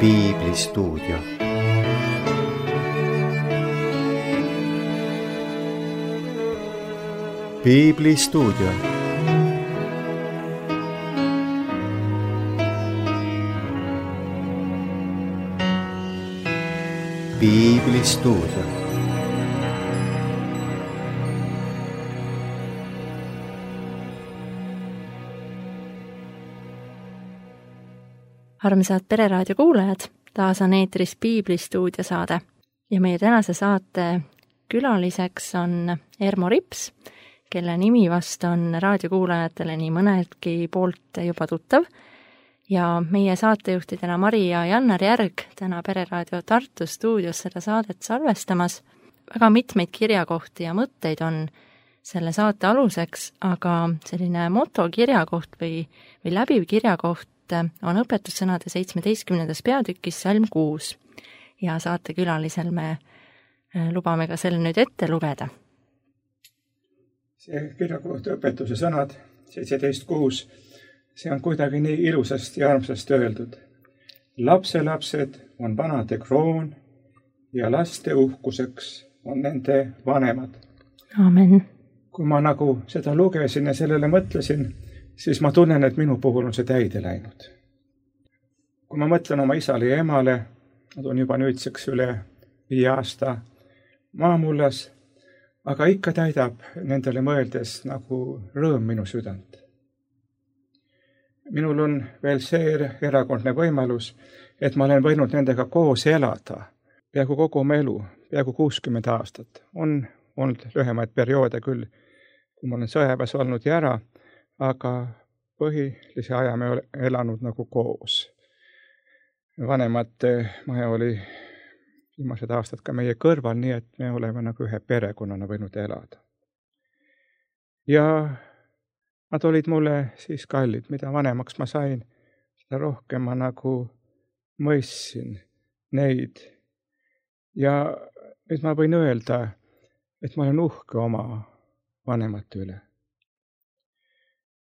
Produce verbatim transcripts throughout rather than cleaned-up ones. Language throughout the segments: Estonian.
Piiblistuudio. Piiblistuudio. Piiblistuudio. Armsad Pereraadio kuulajad, taas on eetris Piiblistuudio saade ja meie tänase saate külaliseks on Ermo Rips, kelle nimi vast on raadiokuulajatele nii mõneltki poolt juba tuttav, ja meie saatejuhtidena Mari ja Jannar Järg täna Pereraadio Tartu stuudios seda saadet salvestamas. Väga mitmeid kirjakohti ja mõtteid on selle saate aluseks, aga selline motokirjakoht või, või läbiv kirjakoht on õpetussõnade seitsmeteistkümnendas peatükis salm kuus ja saatekülalisel me lubame ka selle nüüd ette lugeda. See kirjakohta õpetuse sõnad seitseteist kuus, see on kuidagi nii ilusasti ja armsasti öeldud. Lapselapsed on vanade kroon ja laste uhkuseks on nende vanemad. Amen. Kui ma nagu seda lugesin ja sellele mõtlesin, siis ma tunnen, et minu puhul on see täide läinud. Kui ma mõtlen oma isale ja emale, nad on juba nüüdseks üle viie aasta maamullas, aga ikka täidab nendele mõeldes nagu rõõm minu südant. Minul on veel see erakordne võimalus, et ma olen võinud nendega koos elada peaaegu kogu oma elu, peaaegu kuuskümmend aastat. On olnud lühemaid perioode küll, kui ma olen sõjaväes olnud ja ära, aga põhilise aja me ole elanud nagu koos. Vanemate maja oli viimased aastad ka meie kõrval, nii et me oleme nagu ühe perekonnana võinud elada. Ja nad olid mulle siis kallid, mida vanemaks ma sain, seda rohkem ma nagu mõistsin neid. Ja nüüd ma võin öelda, et ma olen uhke oma vanemate üle.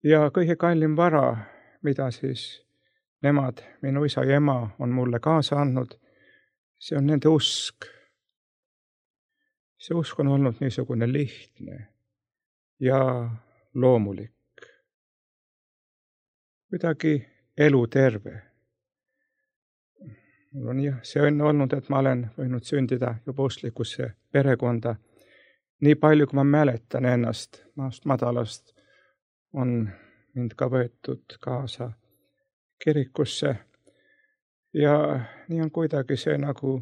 Ja kõige kallim vara, mida siis nemad, minu isa ja ema on mulle kaasa andnud, see on nende usk. See usk on olnud niisugune lihtne ja loomulik. Kuidagi eluterve. Mul on jah, see on olnud, et ma olen võinud sündida juba usklikusse perekonda. Nii palju, kui ma mäletan ennast maast madalast, on mind ka võetud kaasa kirikusse ja nii on kuidagi see nagu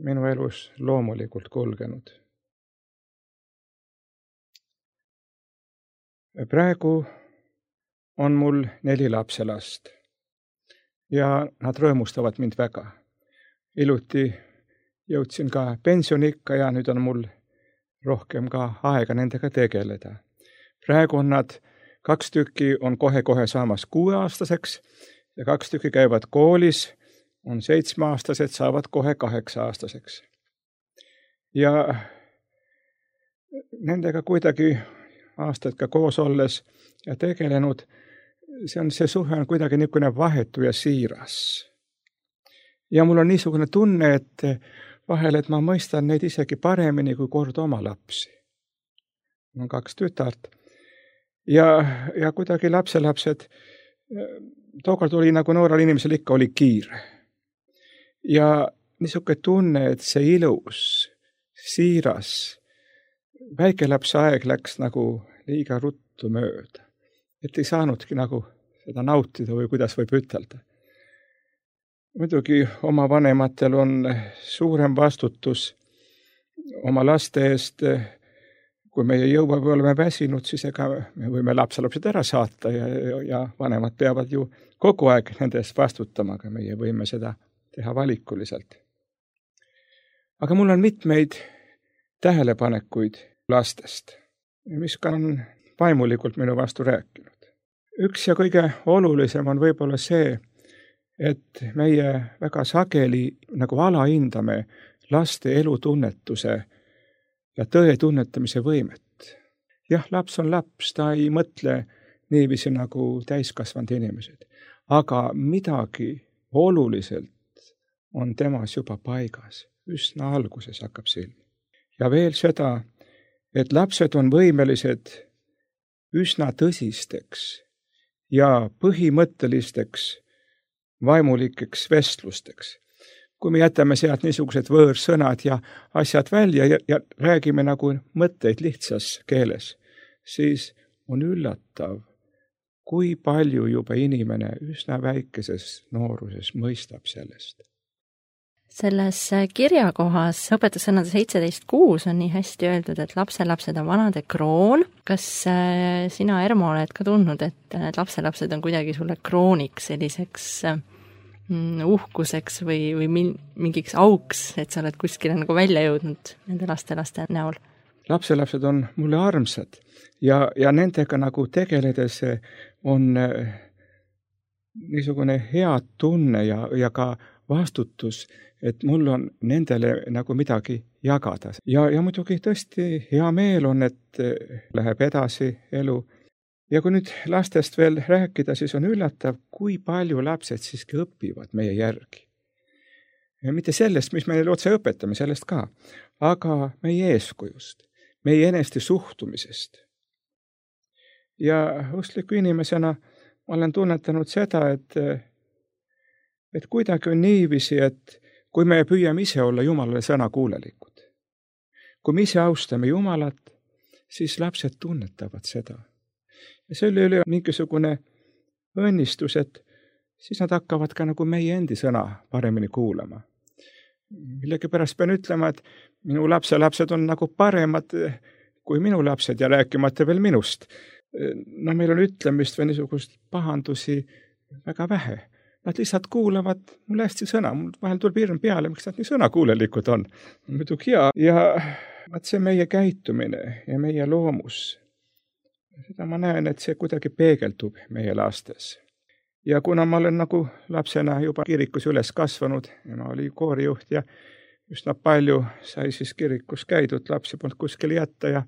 minu elus loomulikult kulgenud. Praegu on mul neli lapselast ja nad rõõmustavad mind väga. Iluti jõudsin ka pensionikka ja nüüd on mul rohkem ka aega nendega tegeleda. Praegu on nad, kaks tükki on kohe-kohe saamas kuueaastaseks ja kaks tükki käivad koolis, on seitsmeaastased, saavad kohe kaheksa-aastaseks. Ja nendega kuidagi aastaid ka koos olles ja tegelenud, see on see suhe on kuidagi niisugune vahetu ja siiras. Ja mul on niisugune tunne, et vahel, et ma mõistan neid isegi paremini kui kord oma lapsi. Mul on kaks tütart. Ja, ja kuidagi lapselapsed, tookord oli nagu noorel inimesel ikka oli kiire. Ja niisugune tunne, et see ilus, siiras, väikelapse aeg läks nagu liiga ruttu mööda. Et ei saanudki nagu seda nautida või kuidas võib ütelda. Muidugi oma vanematel on suurem vastutus oma laste eest. Kui meie jõua või oleme väsinud, siis ega me võime lapselapsed ära saata ja, ja vanemad peavad ju kogu aeg nende eest vastutama, aga meie võime seda teha valikuliselt. Aga mul on mitmeid tähelepanekuid lastest, mis ka on vaimulikult minu vastu rääkinud. Üks ja kõige olulisem on võib-olla see, et meie väga sageli nagu alahindame laste elutunnetuse ja tõe tunnetamise võimet. Jah, laps on laps, ta ei mõtle niiviisi nagu täiskasvanud inimesed. Aga midagi oluliselt on temas juba paigas. Üsna alguses hakkab silma. Ja veel seda, et lapsed on võimelised üsna tõsisteks ja põhimõttelisteks vaimulikeks vestlusteks. Kui me jätame sealt niisugused võõrsõnad ja asjad välja ja, ja räägime nagu mõtteid lihtsas keeles, siis on üllatav, kui palju juba inimene üsna väikeses nooruses mõistab sellest. Selles kirjakohas õpetussõnade seitseteist kuus on nii hästi öeldud, et lapselapsed on vanade kroon. Kas sina, Ermo, oled ka tundnud, et need lapselapsed on kuidagi sulle krooniks, selliseks uhkuseks või, või mingiks auks, et sa oled kuskile nagu välja jõudnud nende lastelaste näol? Lapselapsed on mulle armsad ja, ja nendega nagu tegeledes on niisugune hea tunne ja, ja ka vastutus, et mul on nendele nagu midagi jagada. Ja, ja muidugi tõesti hea meel on, et läheb edasi elu. Ja kui nüüd lastest veel rääkida, siis on üllatav, kui palju lapsed siiski õpivad meie järgi. Ja mitte sellest, mis me neile otse õpetame, sellest ka, aga meie eeskujust, meie eneste suhtumisest. Ja uskliku inimesena ma olen tunnetanud seda, et, et kuidagi on niiviisi, et kui me püüame ise olla Jumalale sõnakuulelikud, kui me ise austame Jumalat, siis lapsed tunnetavad seda. Ja selle üle on mingisugune õnnistus, et siis nad hakkavad ka nagu meie endi sõna paremini kuulama. Millegipärast pean ütlema, et minu lapselapsed on nagu paremad kui minu lapsed ja rääkimata veel minust. No meil on ütlemist või niisugust pahandusi väga vähe. Nad lihtsalt kuulavad mulle hästi sõna. Mul vahel tuleb hirm peale, miks nad nii sõnakuulelikud on. Muidugi hea. Ja vaat see meie käitumine ja meie loomus, seda ma näen, et see kuidagi peegeldub meie lastes. Ja kuna ma olen nagu lapsena juba kirikus üles kasvanud, ja ma olin koorijuht ja üsna palju sai siis kirikus käidud, lapsi polnud kuskil jätta ja,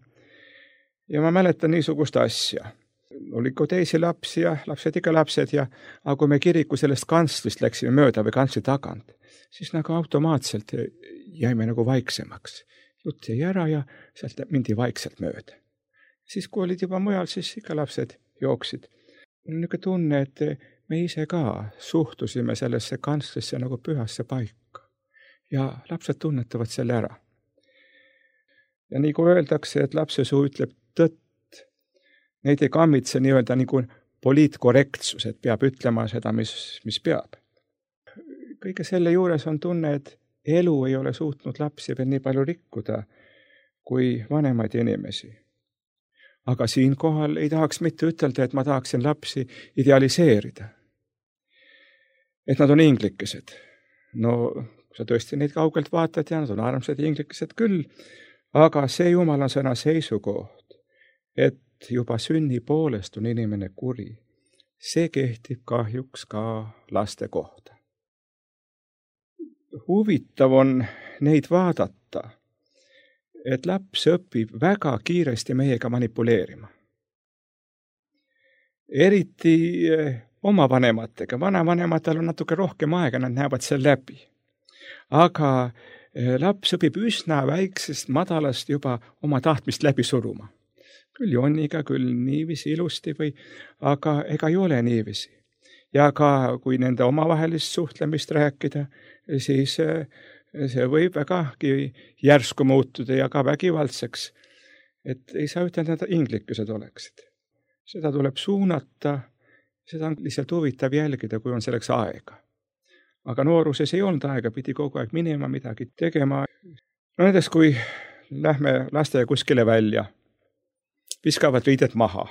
ja ma mäletan niisugust asja. Oli ka teisi lapsi ja lapsed ikka lapsed ja aga kui me kiriku sellest kantslist läksime mööda või kantsli tagant, siis nagu automaatselt jäime nagu vaiksemaks. Jutt jäi ära ja sealt mindi vaikselt mööda. Siis kui olid juba mujal, siis ikka lapsed jooksid. Mul on niisugune tunne, et me ise ka suhtusime sellesse kantslisse nagu pühasse paika ja lapsed tunnetavad selle ära. Ja nii kui öeldakse, et lapse suu ütleb tõtt, neid ei kammitse nii-öelda nagu poliitkorrektsus, et peab ütlema seda, mis, mis peab. Kõige selle juures on tunne, et elu ei ole suutnud lapsi veel nii palju rikkuda kui vanemaid inimesi. Aga siinkohal ei tahaks mitte ütelda, et ma tahaksin lapsi idealiseerida. Et nad on inglikesed. No, kui sa tõesti neid kaugelt vaatad ja nad on armsad inglikesed küll, aga see Jumala sõna seisukoht, et juba sünni poolest on inimene kuri. See kehtib kahjuks ka laste kohta. Huvitav on neid vaadata, et laps õpib väga kiiresti meiega manipuleerima. Eriti oma vanematega. Vanavanematel on natuke rohkem aega, nad näevad seal läbi. Aga laps õpib üsna väiksest madalast juba oma tahtmist läbi suruma. Küll jonniga, küll niivisi ilusti või, aga ega ei ole niivisi. Ja ka kui nende omavahelist suhtlemist rääkida, siis see võib vägagi järsku muutuda ja ka vägivaldseks. Et ei saa ütelda, et inglikesed oleksid. Seda tuleb suunata, seda on lihtsalt huvitav jälgida, kui on selleks aega. Aga nooruses ei olnud aega, pidi kogu aeg minema midagi tegema. No näiteks, kui lähme laste kuskile välja, viskavad riidet maha.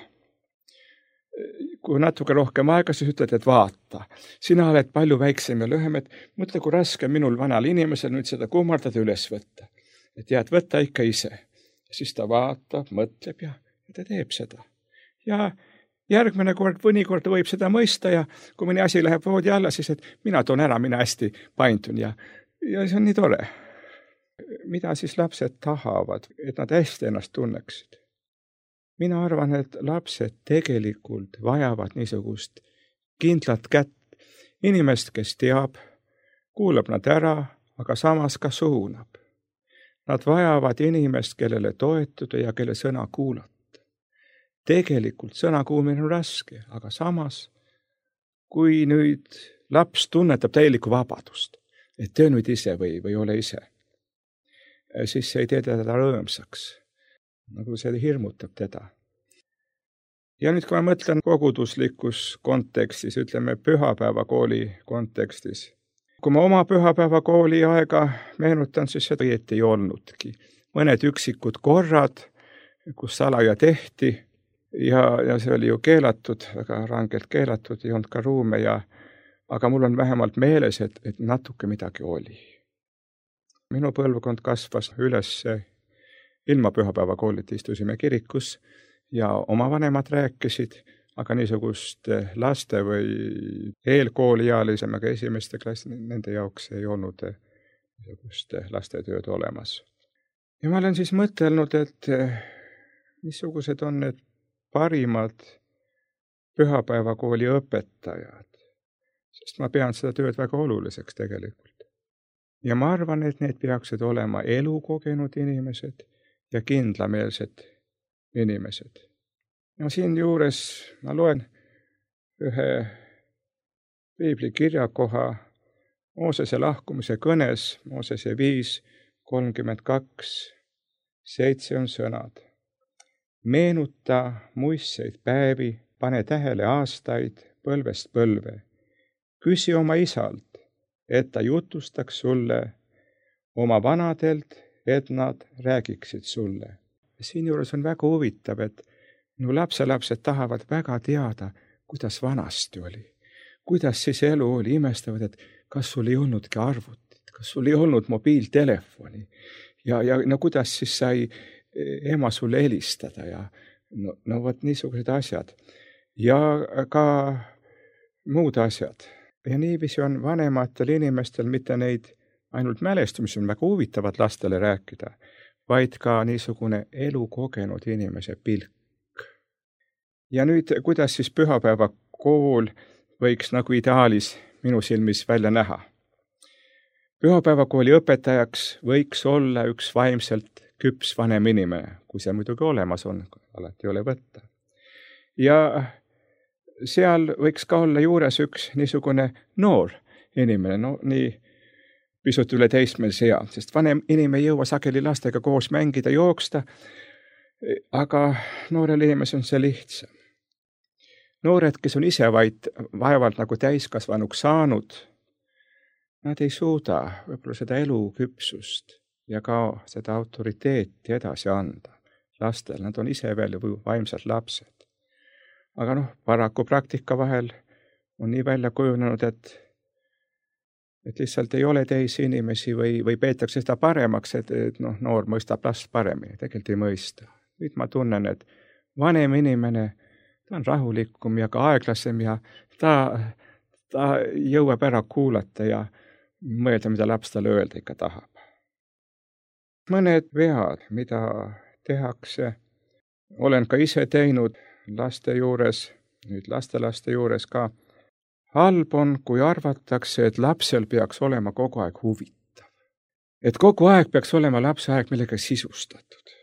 Kui natuke rohkem aega, siis ütled, et vaata. Sina oled palju väiksem ja lühem, et mõtle, kui raske minul vanal inimesel nüüd seda kummardada üles võtta. Et jääd võtta ikka ise. Ja siis ta vaatab, mõtleb ja, ja ta teeb seda. Ja järgmine kord, mõnikord võib seda mõista ja kui mõni asi läheb voodi alla, siis et mina toon ära, mina hästi paindun ja, ja see on nii tore. Mida siis lapsed tahavad, et nad hästi ennast tunneksid? Mina arvan, et lapsed tegelikult vajavad niisugust kindlat kätt inimest, kes teab, kuulab nad ära, aga samas ka suunab. Nad vajavad inimest, kellele toetuda ja kelle sõna kuulata. Tegelikult sõna kuulmine on raske, aga samas, kui nüüd laps tunnetab täielikku vabadust, et töö nüüd ise või, või ole ise, siis see ei tee teda rõõmsaks, nagu see hirmutab teda. Ja nüüd, kui ma mõtlen koguduslikus kontekstis, ütleme pühapäevakooli kontekstis, kui ma oma pühapäevakooli aega meenutan, siis seda õieti ei olnudki. Mõned üksikud korrad, kus salaja tehti ja, ja see oli ju keelatud, väga rangelt keelatud, ei olnud ka ruume ja aga mul on vähemalt meeles, et, et natuke midagi oli. Minu põlvkond kasvas üles ilma pühapäevakoolita, istusime kirikus ja oma vanemad rääkisid, aga niisugust laste või eelkooliealisemaga esimeste klassi, nende jaoks ei olnud niisugust lastetööd olemas. Ja ma olen siis mõtelnud, et missugused on need parimad pühapäevakooli õpetajad, sest ma pean seda tööd väga oluliseks tegelikult. Ja ma arvan, et need peaksid olema elukogenud inimesed ja kindlameelsed inimesed. Ja siin juures ma loen ühe piibli kirjakoha Moosese lahkumise kõnes, Moosese viis kolmkümmend kaks, seitse on sõnad. Meenuta muistseid päevi, pane tähele aastaid põlvest põlve. Küsi oma isalt, et ta jutustaks sulle, oma vanadelt, et nad räägiksid sulle. Siin juures on väga huvitav, et minu lapselapsed tahavad väga teada, kuidas vanasti oli. Kuidas siis elu oli, imestavad, et kas sul ei olnudki arvutit, kas sul ei olnud mobiiltelefoni ja, ja no kuidas siis sai ema sulle helistada ja no, no võt niisugused asjad. Ja ka muud asjad. Ja niiviisi on vanematel inimestel mitte neid ainult mälestumisi on väga huvitavad lastele rääkida, vaid ka niisugune elukogenud inimese pilk. Ja nüüd, kuidas siis pühapäevakool võiks nagu ideaalis minu silmis välja näha? Pühapäevakooli õpetajaks võiks olla üks vaimselt küps vanem inimene, kui see muidugi olemas on, alati ei ole võtta. Ja seal võiks ka olla juures üks niisugune noor inimene, no nii pisut üle teismelise ea, sest vanem inimene ei jõua sageli lastega koos mängida, jooksta, aga noorel inimesel on see lihtsam. Noored, kes on ise vaid vaevalt nagu täiskasvanuks saanud, nad ei suuda võib-olla seda eluküpsust ja ka seda autoriteeti edasi anda lastel. Nad on ise veel vaimsad lapsed. Aga noh, paraku praktika vahel on nii välja kujunenud, et, et lihtsalt ei ole teisi inimesi või, või peetakse seda paremaks, et, et noh, noor mõistab last paremini. Tegelikult ei mõista. Nüüd ma tunnen, et vanem inimene, ta on rahulikum ja ka aeglasem ja ta, ta jõuab ära kuulata ja mõelda, mida laps talle öelda ikka tahab. Mõned vead, mida tehakse, olen ka ise teinud laste juures, nüüd lastelaste juures ka. Halb on, kui arvatakse, et lapsel peaks olema kogu aeg huvitav. Et kogu aeg peaks olema lapse aeg millega sisustatud.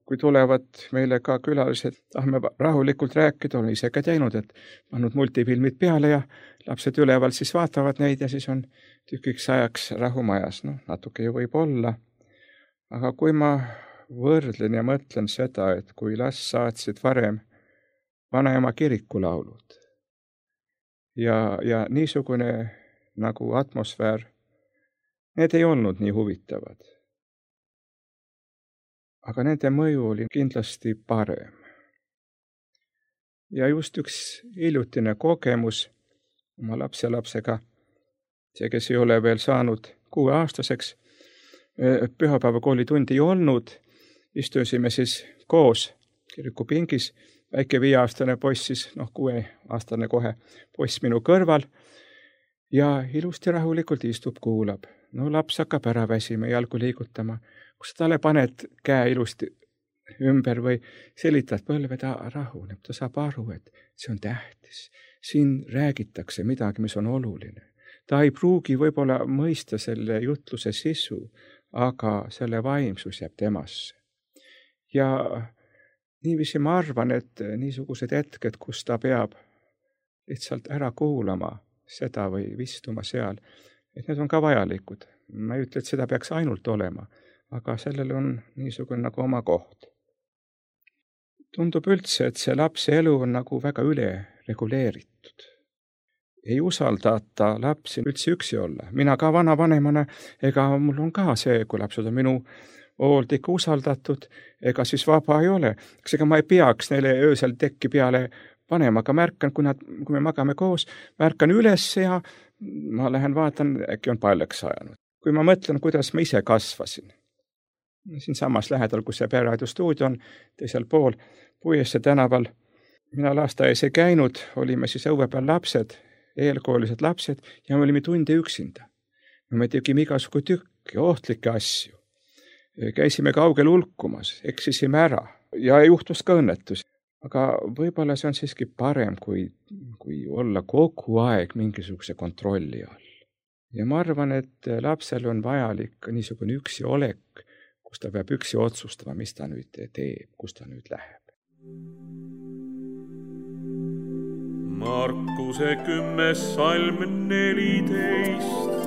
Kui tulevad meile ka külalised, tahame rahulikult rääkida, olen ise ka teinud, et pannud multifilmid peale ja lapsed üleval siis vaatavad neid ja siis on tükiks ajaks rahumajas. No, natuke ju võib olla. Aga kui ma võrdlen ja mõtlen seda, et kui last saatsid varem vanaema kirikulaulud ja, ja niisugune nagu atmosfäär, need ei olnud nii huvitavad. Aga nende mõju oli kindlasti parem. Ja just üks hiljutine kogemus oma lapselapsega, see, kes ei ole veel saanud kuueaastaseks, pühapäevakooli tundi ei olnud, istusime siis koos kirikupingis, väike viieaastane poiss siis, noh kuueaastane kohe poiss minu kõrval ja ilusti rahulikult istub, kuulab. No laps hakkab ära väsima, jalgu liigutama. Kus talle paned käe ilusti ümber või selitad põlve, ta rahuneb, ta saab aru, et see on tähtis. Siin räägitakse midagi, mis on oluline. Ta ei pruugi võib-olla mõista selle jutluse sisu, aga selle vaimsus jääb temasse. Ja niiviisi ma arvan, et niisugused hetked, kus ta peab lihtsalt ära kuulama seda või vistuma seal, et need on ka vajalikud. Ma ei ütle, et seda peaks ainult olema, aga sellel on niisugune nagu oma koht. Tundub üldse, et see lapse elu on nagu väga üle reguleeritud. Ei usaldata lapsi üldse üksi olla. Mina ka vanavanemana, ega mul on ka see, kui lapsed on minu hoolt ikka usaldatud, ega siis vaba ei ole. Eks ega ma ei peaks neile öösel tekki peale panema, aga märkan, kui, nad, kui me magame koos, märkan üles ja ma lähen vaatan, äkki on paljaks ajanud. Kui ma mõtlen, kuidas ma ise kasvasin, siin samas lähedal, kus see Pereradio stuudio on, teisel pool Puiesse tänaval, mina lasteaias ei käinud, olime siis õue peal lapsed, eelkoolised lapsed ja me olime tunde üksinda. Me tegime igasugu tükki, ohtlikke asju. Käisime kaugel ulkumas, eksisime ära ja juhtus ka õnnetus. Aga võib-olla see on siiski parem, kui, kui olla kogu aeg mingisuguse kontrolli all. Ja ma arvan, et lapsel on vajalik niisugune üksi olek, kus ta peab üksi otsustama, mis ta nüüd teeb, kus ta nüüd läheb. Markuse kümnes salm neliteist.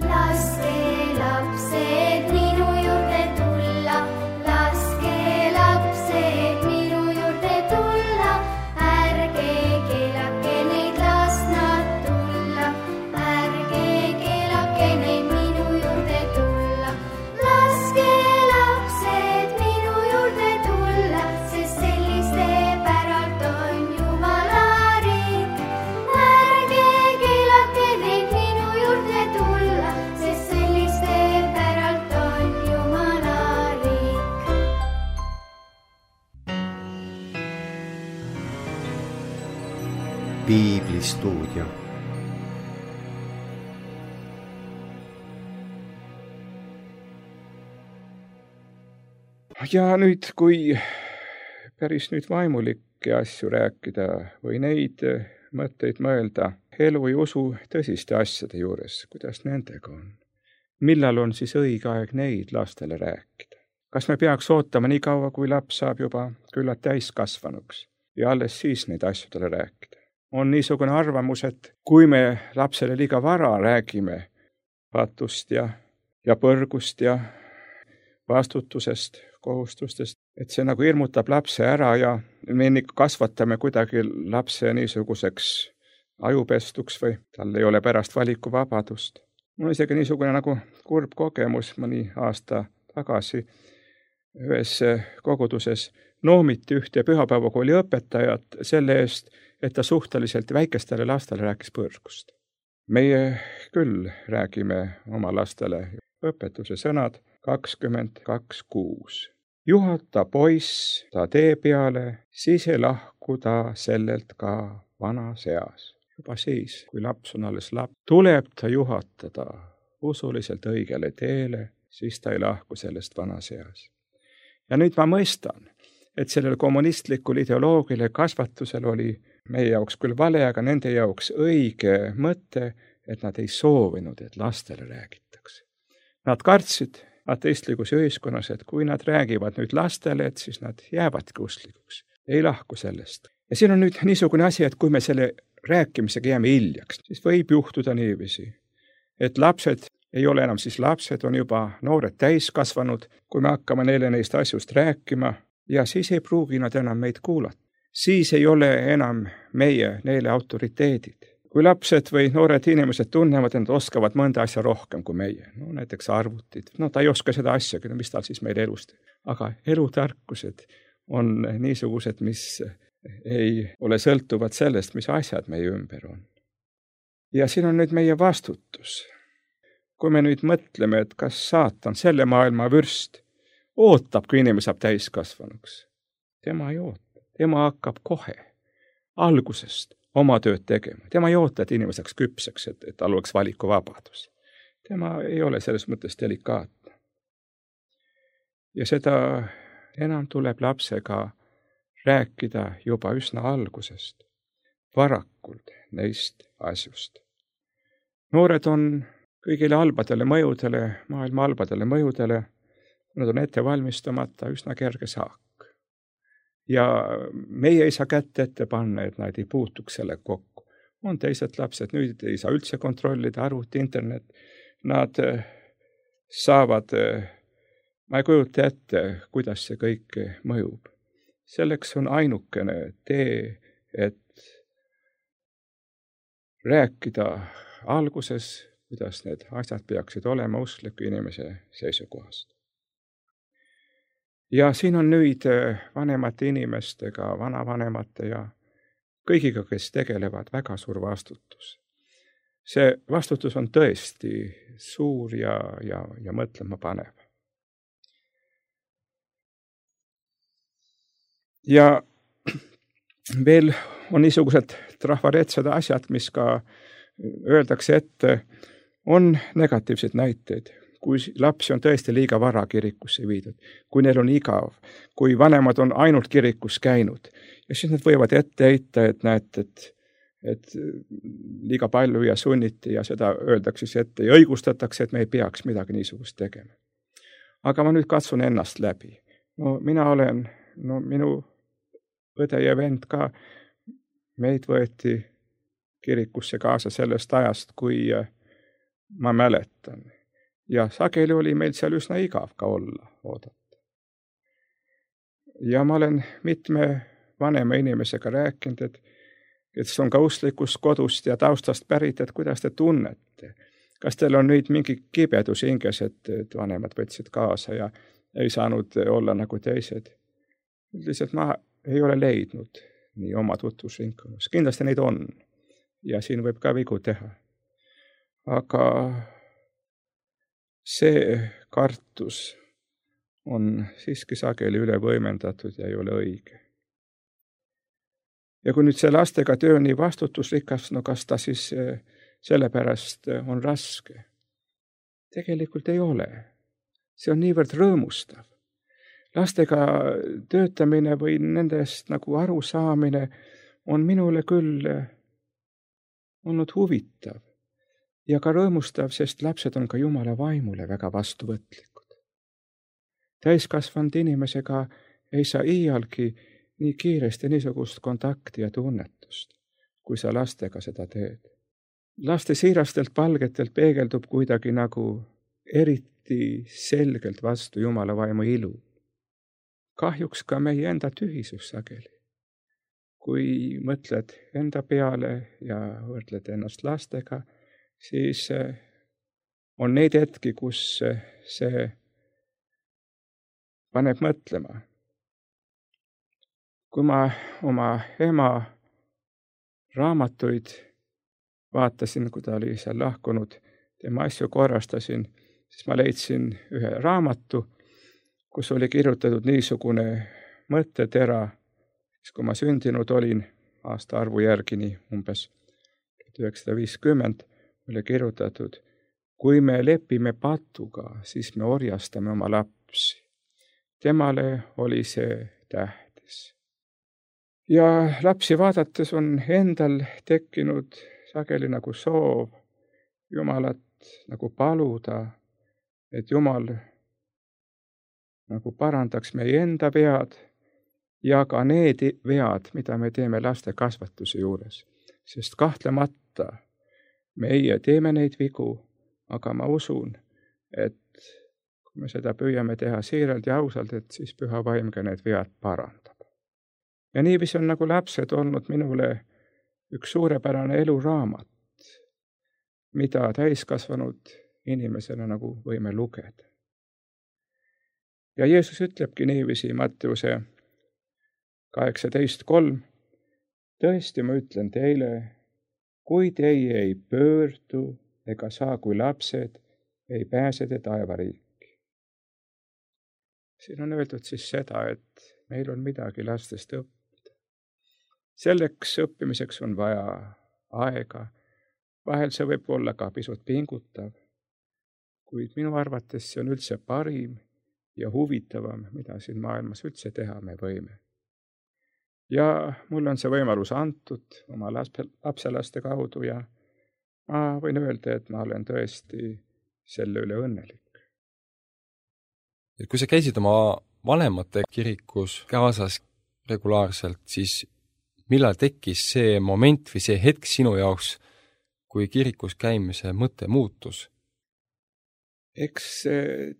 Laske lapsed minu juurde tulla, laske lapsed minu juurde tulla, ärge keelake neid, las nad tulla, ärge keelake neid minu juurde tulla, laske lapsed minu juurde tulla, sest selliste päralt on Jumala riik. Ärge keelake neid minu juurde tulla, sest selliste päralt on Jumala riik. Piiblistuudio. Ja nüüd, kui päris nüüd vaimulikke asju rääkida või neid mõtteid mõelda elu ja usu tõsiste asjade juures, kuidas nendega on? Millal on siis õige aeg neid lastele rääkida? Kas me peaks ootama nii kaua, kui laps saab juba küllalt täiskasvanuks ja alles siis neid asjadele rääkida? On niisugune arvamus, et kui me lapsele liiga vara räägime patust ja, ja põrgust ja vastutusest, kohustustest, et see nagu hirmutab lapse ära ja me ikka kasvatame kuidagi lapse niisuguseks ajupestuks või tal ei ole pärast valikuvabadust. Mul on isegi niisugune nagu kurb kogemus mõni aasta tagasi ühes koguduses noomiti ühte pühapäevakooli õpetajat selle eest, et ta suhteliselt väikestele lastele rääkis põrgust. Meie küll räägime oma lastele õpetuse sõnad kakskümmend kaks kuus. Juhata poiss ta tee peale, siis ei lahku ta sellelt ka vana seas. Juba siis, kui laps on alles laps, tuleb ta juhatada usuliselt õigele teele, siis ta ei lahku sellest vana seas. Ja nüüd ma mõistan, et sellel kommunistlikul ideoloogile kasvatusel oli meie jaoks küll vale, aga nende jaoks õige mõte, et nad ei soovinud, et lastele räägitakse. Nad kartsid ateistlikus ühiskonnas, et kui nad räägivad nüüd lastele, et siis nad jäävadki usklikuks, ei lahku sellest. Ja siin on nüüd niisugune asi, et kui me selle rääkimisega jääme hiljaks, siis võib juhtuda niiviisi, et lapsed ei ole enam siis lapsed, on juba noored täiskasvanud, kui me hakkame neile neist asjust rääkima ja siis ei pruugi nad enam meid kuulata. Siis ei ole enam meie neile autoriteedid. Kui lapsed või noored inimesed tunnevad, et nad oskavad mõnda asja rohkem kui meie, no näiteks arvutid, no ta ei oska seda asjagi, no mis tal siis meil elust. Aga elutarkused on niisugused, mis ei ole sõltuvad sellest, mis asjad meie ümber on. Ja siin on nüüd meie vastutus. Kui me nüüd mõtleme, et kas saatan, selle maailma vürst, ootab, kui inimene saab täiskasvanuks. Tema ei oota. Tema hakkab kohe algusest oma tööd tegema. Tema ei oota, et inimene saaks küpseks, et, et tal oleks valikuvabadus. Tema ei ole selles mõttes delikaatne. Ja seda enam tuleb lapsega rääkida juba üsna algusest, varakult neist asjust. Noored on kõigile halbadele mõjudele, maailma halbadele mõjudele, kui nad on ette valmistamata, üsna kerge saak. Ja meie ei saa kätt ette panna, et nad ei puutuks selle kokku. On teised lapsed, nüüd ei saa üldse kontrollida, arvuti, internet. Nad saavad, ma ei kujuta ette, kuidas see kõik mõjub. Selleks on ainukene tee, et rääkida alguses, kuidas need asjad peaksid olema uskliku inimese seisukohast. Ja siin on nüüd vanemate inimestega, vanavanemate ja kõigiga, kes tegelevad, väga suur vastutus. See vastutus on tõesti suur ja, ja, ja mõtlema panev. Ja veel on niisugused trafaretsed asjad, mis ka öeldakse ette, on negatiivsed näiteid. Kui lapsi on tõesti liiga vara kirikusse viidud, kui neil on igav, kui vanemad on ainult kirikus käinud. Ja siis nad võivad ette heita, et näete, et, et liiga palju ja sunniti ja seda öeldakse ette ja õigustatakse, et me ei peaks midagi niisugust tegema. Aga ma nüüd katsun ennast läbi. No mina olen, no minu õde ja vend ka, meid võeti kirikusse kaasa sellest ajast, kui ma mäletan. Ja sageli oli meil seal üsna igav ka olla, oodata. Ja ma olen mitme vanema inimesega rääkinud, et, et see on ka usklikust kodust ja taustast pärit, et kuidas te tunnete. Kas teil on nüüd mingi kibedus hinges, et, et vanemad võtsid kaasa ja ei saanud olla nagu teised? Lihtsalt ma ei ole leidnud nii oma tutvusringkonnas. Kindlasti neid on ja siin võib ka vigu teha. Aga see kartus on siiski sageli üle võimendatud ja ei ole õige. Ja kui nüüd see lastega töö nii vastutusrikas, no kas ta siis sellepärast on raske? Tegelikult ei ole. See on niivõrd rõõmustav. Lastega töötamine või nendest nagu aru saamine on minule küll olnud huvitav. Ja ka rõõmustav, sest lapsed on ka Jumala vaimule väga vastuvõtlikud. Täiskasvanud inimesega ei saa iialgi nii kiiresti niisugust kontakti ja tunnetust, kui sa lastega seda teed. Laste siirastelt palgetelt peegeldub kuidagi nagu eriti selgelt vastu Jumala vaimu ilu. Kahjuks ka meie enda tühisus sageli. Kui mõtled enda peale ja võrdled ennast lastega, siis on neid hetki, kus see paneb mõtlema. Kui ma oma ema raamatuid vaatasin, kui ta oli seal lahkunud, tema asju korrastasin, siis ma leidsin ühe raamatu, kus oli kirjutatud niisugune mõttetera, kui ma sündinud olin aasta arvu järgini umbes tuhat üheksasada viiskümmend, oli kirjutatud, kui me lepime patuga, siis me orjastame oma lapsi. Temale oli see tähtis. Ja lapsi vaadates on endal tekkinud sageli nagu soov Jumalat nagu paluda, et Jumal nagu parandaks meie enda vead ja ka need vead, mida me teeme laste kasvatuse juures. Sest kahtlemata meie teeme neid vigu, aga ma usun, et kui me seda püüame teha siiralt ja ausalt, et siis Püha Vaim ka need vead parandab. Ja niiviisi on nagu lapsed olnud minule üks suurepärane eluraamat, mida täiskasvanud inimesena nagu võime lugeda. Ja Jeesus ütlebki niiviisi Matteuse kaheksateist kolm, tõesti ma ütlen teile, kui teie ei pöördu ega saa kui lapsed, ei pääse te taevariiki. Siin on öeldud siis seda, et meil on midagi lastest õppida. Selleks õppimiseks on vaja aega. Vahel see võib olla ka pisut pingutav, kuid minu arvates see on üldse parim ja huvitavam, mida siin maailmas üldse teha me võime. Ja mul on see võimalus antud oma lapselaste kaudu ja ma võin öelda, et ma olen tõesti selle üle õnnelik. Kui sa käisid oma vanemate kirikus kaasas regulaarselt, siis millal tekkis see moment või see hetk sinu jaoks, kui kirikus käimise mõte muutus? Eks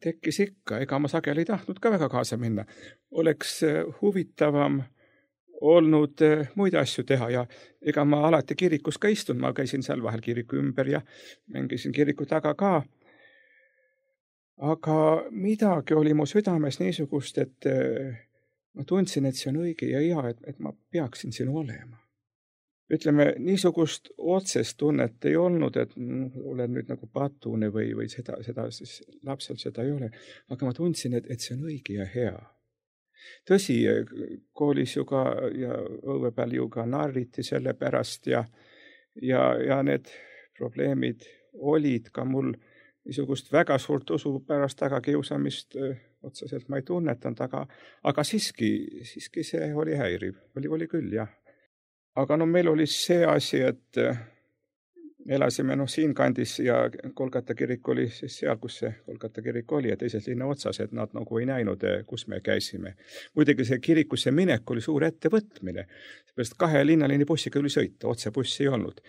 tekkis ikka, ega ma sageli ei tahtnud ka väga kaasa minna. Oleks huvitavam olnud muid asju teha ja ega ma alati kirikus ka istun, ma käisin seal vahel kiriku ümber ja mängisin kiriku taga ka. Aga midagi oli mu südames niisugust, et ma tundsin, et see on õige ja hea, et, et ma peaksin siin olema. Ütleme, niisugust otsest tunnet ei olnud, et olen nüüd nagu patune või, või seda, seda siis lapsel seda ei ole. Aga ma tundsin, et, et see on õige ja hea. Tõsi, koolis ju ka ja õue peal ju ka narriti selle pärast ja, ja, ja need probleemid olid ka mul niisugust väga suurt usu pärast taga kiusamist otseselt ma ei tunnetanud, aga, aga siiski, siiski see oli häiriv. Oli, oli küll, jah. Aga no meil oli see asi, et elasime no siin kandis ja Kolgata kirik oli siis seal, kus see Kolgata kirik oli ja teises linna otsas, et nad nagu ei näinud, kus me käisime. Muidugi see kirikusse minek oli suur ettevõtmine, seepärast kahe linnalini bussiga üli sõita, otse bussi ei olnud.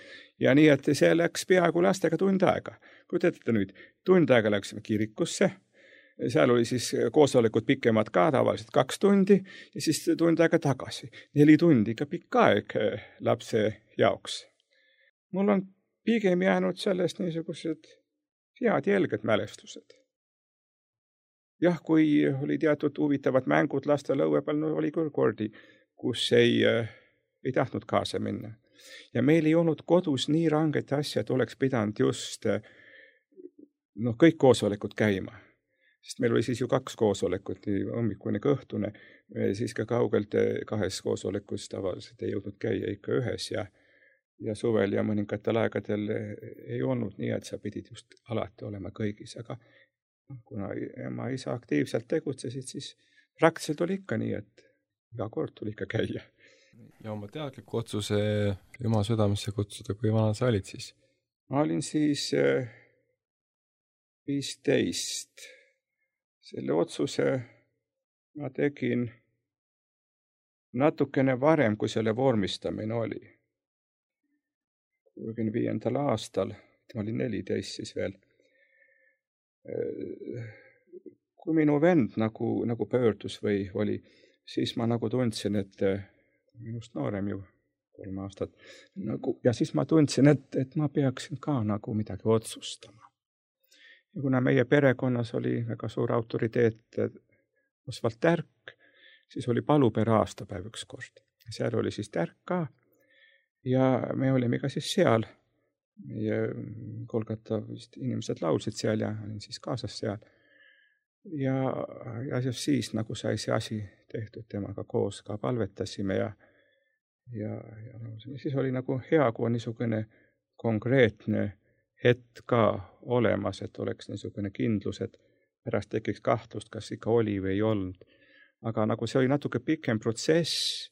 Ja nii, et see läks peaaegu lastega tund aega. Kujutate nüüd, tund aega läksime kirikusse, seal oli siis koosolekud pikemad ka, tavaliselt kaks tundi ja siis tund aega tagasi. Neli tundi ka pikk aeg lapse jaoks. Mul on pigem jäänud sellest niisugused head jälged mälestused. Jah, kui oli teatud huvitavad mängud lastel õue peal, no oli küll kordi, kus ei, ei tahtnud kaasa minna. Ja meil ei olnud kodus nii ranged asja, et oleks pidanud just no, kõik koosolekud käima. Sest meil oli siis ju kaks koosolekut, nii hommikune kui õhtune, siis ka kaugelt kahes koosolekus tavaliselt ei jõudnud käia ikka ühes ja ja suvel ja mõningatel aegadel ei olnud nii, et sa pidid just alati olema kõigis, aga kuna ema isa aktiivselt tegutsesid, siis praktiliselt oli ikka nii, et iga kord tuli ikka käia. Ja oma teadliku otsuse Jumal südamesse kutsuda, kui vana sa olid siis? Ma olin siis viisteist. Selle otsuse ma tegin natukene varem, kui selle vormistamine oli. kuuekümne viiendal aastal, ma olin neliteist siis veel. Kui minu vend nagu, nagu pöördus või oli, siis ma nagu tundsin, et minust noorem ju kolm aastat. Nagu, ja siis ma tundsin, et, et ma peaksin ka nagu midagi otsustama. Ja kuna meie perekonnas oli väga suur autoriteet Osvald Tärk, siis oli palupere aastapäev üks kord. Seal oli siis Tärk ka. Ja me olime ka siis seal. Meie Kolgata vist inimesed laulsid seal ja olin siis kaasas seal. Ja, ja siis nagu sai see asi tehtud temaga koos ka palvetasime ja, ja, ja laulsime. Siis oli nagu hea, kui on niisugune konkreetne hetk ka olemas, et oleks niisugune kindlus, et pärast tekiks kahtlust, kas ikka oli või ei olnud. Aga nagu see oli natuke pikem protsess,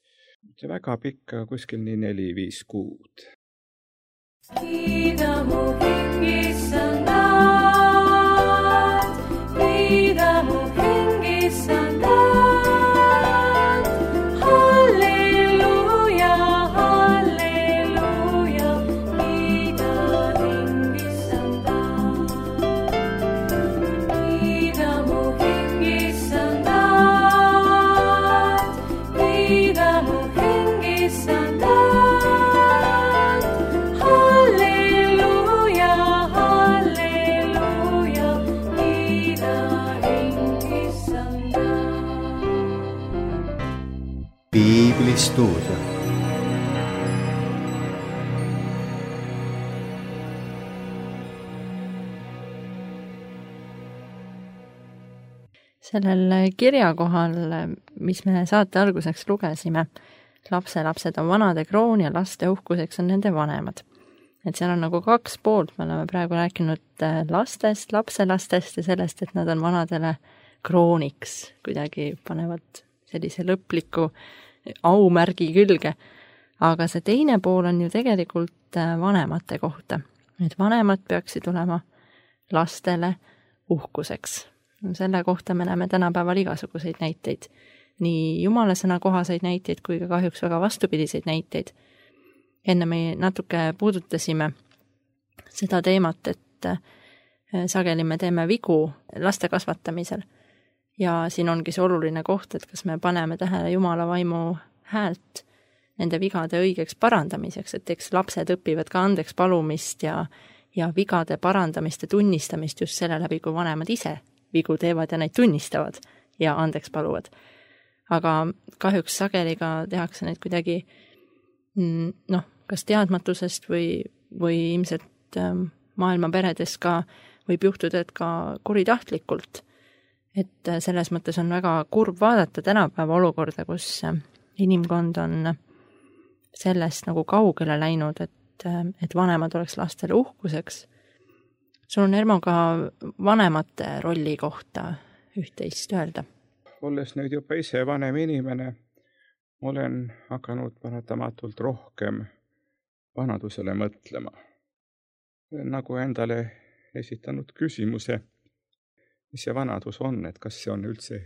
see väga pikk, kuskil nii neli, viis kuud. Kiida mu hingissandad, kiida mu hingissandad, halleluja, halleluja, kiida hingissandad, kiida mu hingissandad, kiida mu hingissandad. Piiblistuudio. Sellel kirjakohal, mis me saate alguseks lugesime, lapselapsed on vanade kroon ja laste uhkuseks on nende vanemad. Et seal on nagu kaks poolt, me oleme praegu rääkinud lastest, lapselastest ja sellest, et nad on vanadele krooniks, kuidagi panevad sellise lõpliku aumärgi külge. Aga see teine pool on ju tegelikult vanemate kohta. Et vanemad peaksid olema lastele uhkuseks. Selle kohta me näeme tänapäeval igasuguseid näiteid. Nii jumala sõna kohaseid näiteid kui ka kahjuks väga vastupidiseid näiteid. Enne me natuke puudutasime seda teemat, et sageli me teeme vigu laste kasvatamisel. Ja siin ongi see oluline koht, et kas me paneme tähele jumala vaimu häält nende vigade õigeks parandamiseks, et eks lapsed õpivad ka andeks palumist ja, ja vigade parandamist ja tunnistamist just selle läbi, kui vanemad ise vigu teevad ja neid tunnistavad ja andeks paluvad. Aga kahjuks sageli ka tehakse neid kuidagi noh, kas teadmatusest või, või ilmselt maailma peredes ka võib juhtuda, et ka kuritahtlikult. Et selles mõttes on väga kurb vaadata tänapäeva olukorda, kus inimkond on sellest nagu kaugele läinud, et, et vanemad oleks lastele uhkuseks. Sul on Ermo ka vanemate rolli kohta üht-teist öelda. Olles nüüd juba ise vanem inimene, olen hakanud paratamatult rohkem vanadusele mõtlema. Nagu endale esitanud küsimuse, mis see vanadus on, et kas see on üldse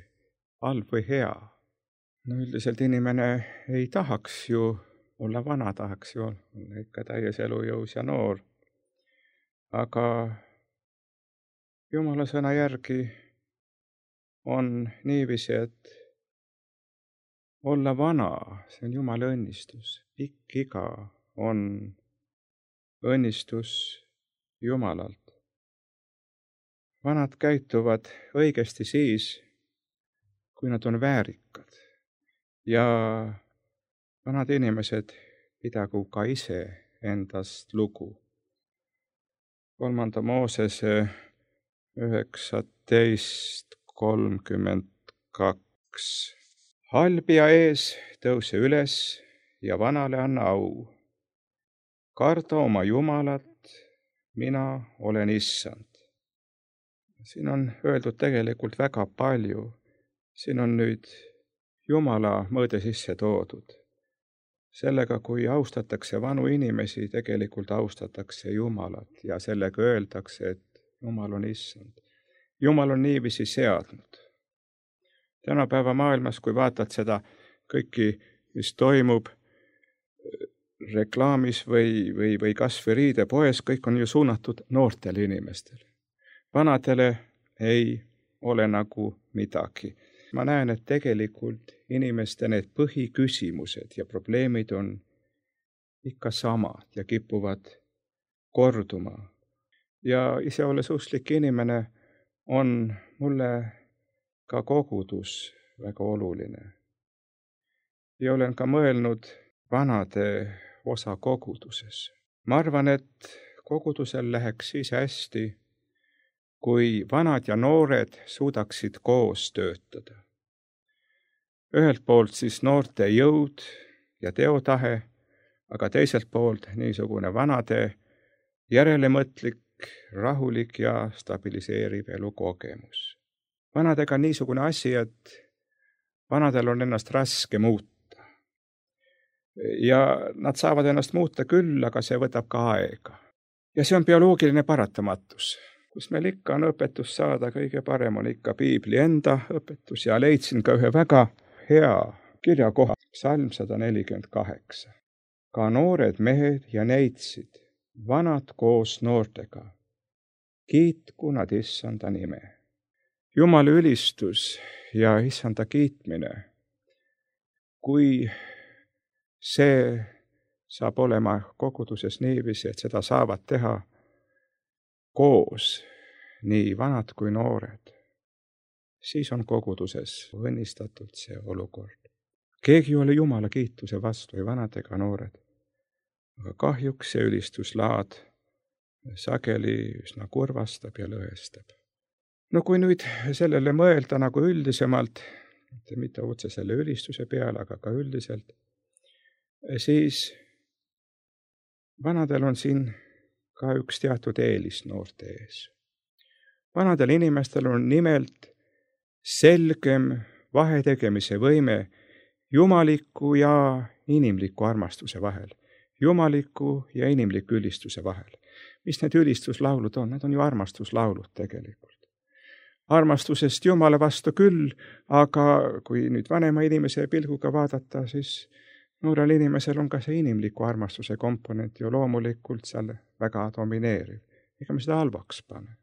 halb või hea. No üldiselt inimene ei tahaks ju olla vana, tahaks ju olla ikka täies elujõus ja noor. Aga Jumala sõna järgi on niiviisi, et olla vana, see on Jumala õnnistus. Pikk iga on õnnistus Jumalalt. Vanad käituvad õigesti siis, kui nad on väärikad. Ja vanad inimesed pidagu ka ise endast lugu. Kolmanda Moosese üheksateist kolmkümmend kaks. Halbija ees tõuse üles ja vanale anna au. Karda oma Jumalat, mina olen issand. Siin on öeldud tegelikult väga palju. Siin on nüüd Jumala mõõde sisse toodud. Sellega, kui austatakse vanu inimesi, tegelikult austatakse Jumalat ja sellega öeldakse, et Jumal on issand. Jumal on niiviisi seadnud. Tänapäeva maailmas, kui vaatad seda kõiki, mis toimub reklaamis või, või, või kas või riidepoes, kõik on ju suunatud noortele inimestele. Vanadele ei ole nagu midagi. Ma näen, et tegelikult inimeste need põhiküsimused ja probleemid on ikka samad ja kipuvad korduma. Ja ise olles usklik inimene on mulle ka kogudus väga oluline. Ja olen ka mõelnud vanade osa koguduses. Ma arvan, et kogudusel läheks siis hästi, kui vanad ja noored suudaksid koos töötada. Ühelt poolt siis noorte jõud ja teotahe, aga teiselt poolt niisugune vanade järelemõtlik, rahulik ja stabiliseeriv elukogemus. Vanadega on niisugune asi, et vanadel on ennast raske muuta. Ja nad saavad ennast muuta küll, aga see võtab ka aega. Ja see on bioloogiline paratamatus. Kus meil ikka on õpetus saada, kõige parem on ikka Piibli enda õpetus ja leidsin ka ühe väga hea kirjakoha, psalm sada nelikümmend kaheksa. Ka noored mehed ja neitsid, vanad koos noortega, kiitku nad issanda nime. Jumala ülistus ja issanda kiitmine, kui see saab olema koguduses niiviisi, et seda saavad teha koos, nii vanad kui noored, siis on koguduses õnnistatult see olukord. Keegi ei ole Jumala kiituse vastu, ei vanad ega noored. Aga kahjuks see ülistuslaad sageli üsna kurvastab ja lõhestab. No kui nüüd sellele mõelda nagu üldisemalt, mitte otse selle ülistuse peale, aga ka üldiselt, siis vanadel on siin ka üks teatud eelis noorte ees. Vanadel inimestel on nimelt selgem vahetegemise võime jumaliku ja inimliku armastuse vahel, jumaliku ja inimliku ülistuse vahel. Mis need ülistuslaulud on? Need on ju armastuslaulud tegelikult. Armastusest Jumala vastu küll, aga kui nüüd vanema inimese pilguga vaadata, siis noorel inimesel on ka see inimliku armastuse komponent ju loomulikult seal väga domineeriv. Ega me seda halvaks pane.